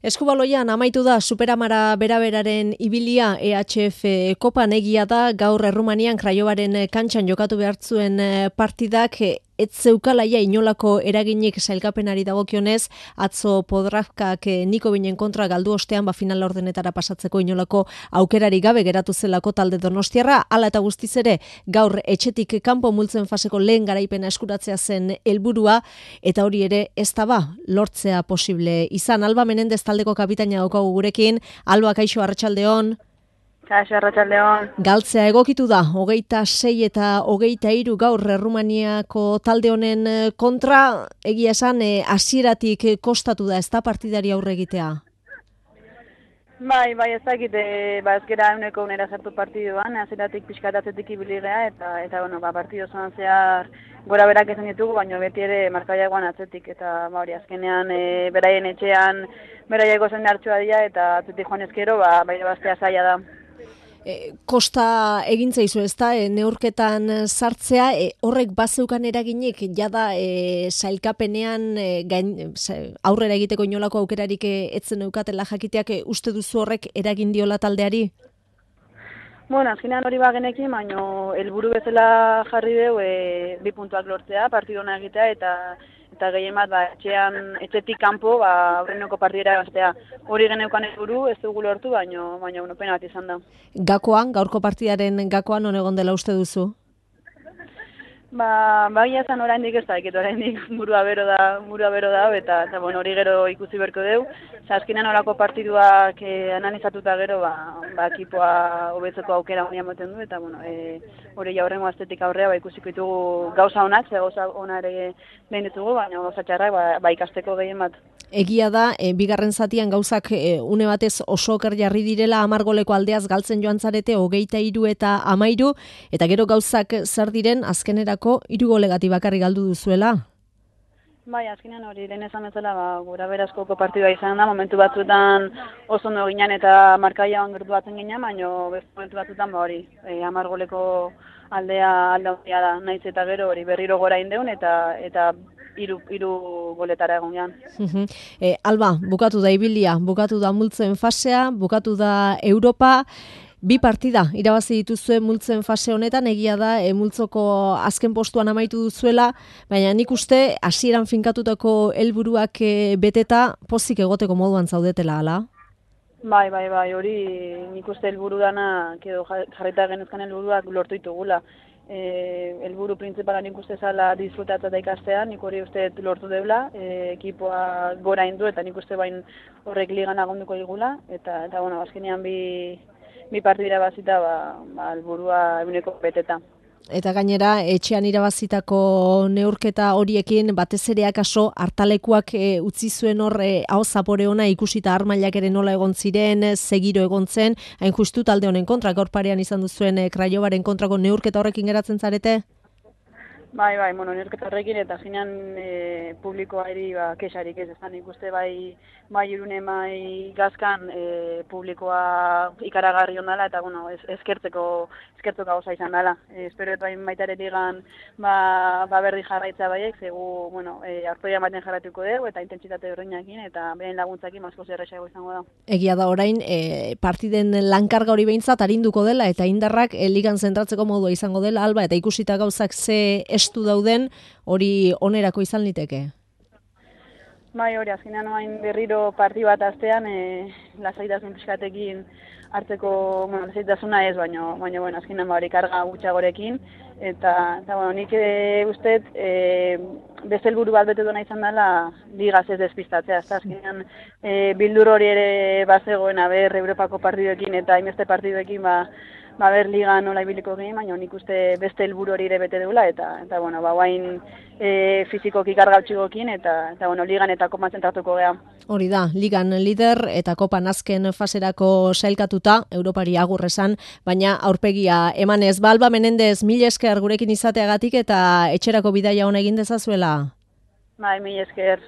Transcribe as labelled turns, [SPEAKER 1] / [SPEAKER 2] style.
[SPEAKER 1] Eskubaloian amaitu da Superamara beraberaren ibilia EHF Kopan. Egia da gaur Errumanian Craiovaren kantxan jokatu behartzuen partidak ez zeukalaia inolako eraginik sailkapenari dagokionez. Atzo Podravkak Nikovinen kontra galdu ostean final ordenetara pasatzeko inolako aukerari gabe geratu zelako talde donostiarra. Hala eta guztiz ere gaur etxetik kanpo multzen faseko lehen garaipena eskuratzea zen helburua, eta hori ere ez da lortzea posible izan. Alba Menendez taldeko kapitaina daukagu gurekin. Alba, kaixo, arratsaldeon.
[SPEAKER 2] Kaixo, arratsaldeon.
[SPEAKER 1] Galtzea egokitu da, 26 eta 23 gaur Errumaniako talde honen kontra. Egia esan, hasieratik kostatu da ezta partidari aurre egitea?
[SPEAKER 2] Bai, ez dakit, ezkera euneko unera sartu partiduan, hasieratik pixkatatzetik ibilidea, eta partidu zoan zehar gora berak esan ditugu, baina beti ere markaiagoan atzetik, eta hori azkenean beraien etxean beraieko zen hartxoa dira, eta atzetik joan ezkero, bai bastea zaila da.
[SPEAKER 1] Kosta egin zaizu ezta, neurketan sartzea, horrek bazeukan eraginik, jada sailkapenean aurrera egiteko inolako aukerarik etzen eukatela jakiteak, uste duzu horrek eragin diola taldeari?
[SPEAKER 2] Azkenean hori bagenekin, baina helburu bezala jarri dugu 2 puntuak lortzea, partidona egitea, eta gehien bat etxetik kanpo aurreneko partidera gaztea. Hori geneukan helburu, ez dugu lortu, baina pena bat izan da.
[SPEAKER 1] Gakoan, gaurko partidaren gakoan non egon dela uste duzu?
[SPEAKER 2] Baina zan oraindik ez da, oraindik murua bero da, eta hori gero ikusi berko dugu. Azkenean horako partiduak analizatuta gero, ekipoa hobetzeko aukera honia moten du, eta hori jaurrengo astetik aurrea ikusiko ditugu gauza honak, gauza ona ere behin ditugu, baina gauza txarrak ikasteko gehien bat.
[SPEAKER 1] Egia da, bigarren zatian gauzak une batez oso oker jarri direla, 10 goleko aldeaz galtzen joan zarete 23 eta 13, eta gero gauzak zer diren azkenerako 3 golegati bakarrik galdu duzuela.
[SPEAKER 2] Bai, azkenean hori lehen esan bezala gura berazkoko partidua izan da, momentu batzuetan oso ondo ginen eta markaiagoan gertu batzen ginen, baina momentu batzuetan 10 goleko aldea da, naiz eta gero hori berriro gora indeun eta 3 goletara egon gehan.
[SPEAKER 1] Alba, bukatu da ibilia, bukatu da multzen fasea, bukatu da Europa. 2 partida irabazi dituzue multzen fase honetan. Egia da multzoko azken postuan amaitu duzuela, baina nik uste hasieran finkatutako helburuak beteta pozik egoteko moduan zaudetela, ala?
[SPEAKER 2] Bai, hori nik uste helburu dana, jarrita genezkan helburuak lortu ditugula. Helburu printzipala nik uste zala disfrutatza eta ikastean, nik hori uste lortu deula, ekipoa gora indu, eta nik uste bain horrek ligan agonduko digula, eta azkenean bi partidira bazita, helburua eguneko beteta.
[SPEAKER 1] Eta gainera, etxean irabazitako neurketa horiekin, batez ere akaso hartalekuak utzi zuen hor aho zapore ona ikusita armailak ere nola egon ziren, segiro egon zen, hain justu talde honen kontra, gaur parean izan duzuen Craiovaren kontrako neurketa horrekin geratzen zarete?
[SPEAKER 2] Bai, neurketa horrekin, eta zinean publikoa eri kexarik ez ezan ikuste bai Irunen, bai Gazkan publikoa ikaragarri ondala, eta eskertzeko gauza izan dela. Espero eta baita ere ligan berdi jarraitza baiek, zegu artoia maten jarratuko dugu, eta intentsitate horreinakin, eta beren laguntzakin askoz erresago izango da.
[SPEAKER 1] Egia da orain, partiden lankarga hori behintzat arinduko dela, eta indarrak ligan zentratzeko modua izango dela, Alba, eta ikusita gauzak ze estu dauden, hori onerako izan liteke?
[SPEAKER 2] Bai, hori, azkenean oain berriro parti bat astean, lasaitasun pixkatekin hartzeko, lasaitasuna ez, baina azkenean hori karga gutxagorekin, eta nik uste beste helburu bat bete duena izan dela ligaz ez despistatzea, azkenean bildur hori ere bazegoen Europako partiduekin eta hainbeste partiduekin liga nola ibiliko gehen, baina nik uste beste helburu hori ere bete deula, eta guain fizikoki karga utxigokin, eta ligan eta kopan zentratuko geha.
[SPEAKER 1] Hori da, ligan lider eta kopan azken faserako sailkatuta, Europari agur esan, baina aurpegia emanez. Alba Menendez, mil esker gurekin izateagatik eta etxerako bidaia ona egin dezazuela.
[SPEAKER 2] Bai, mil esker.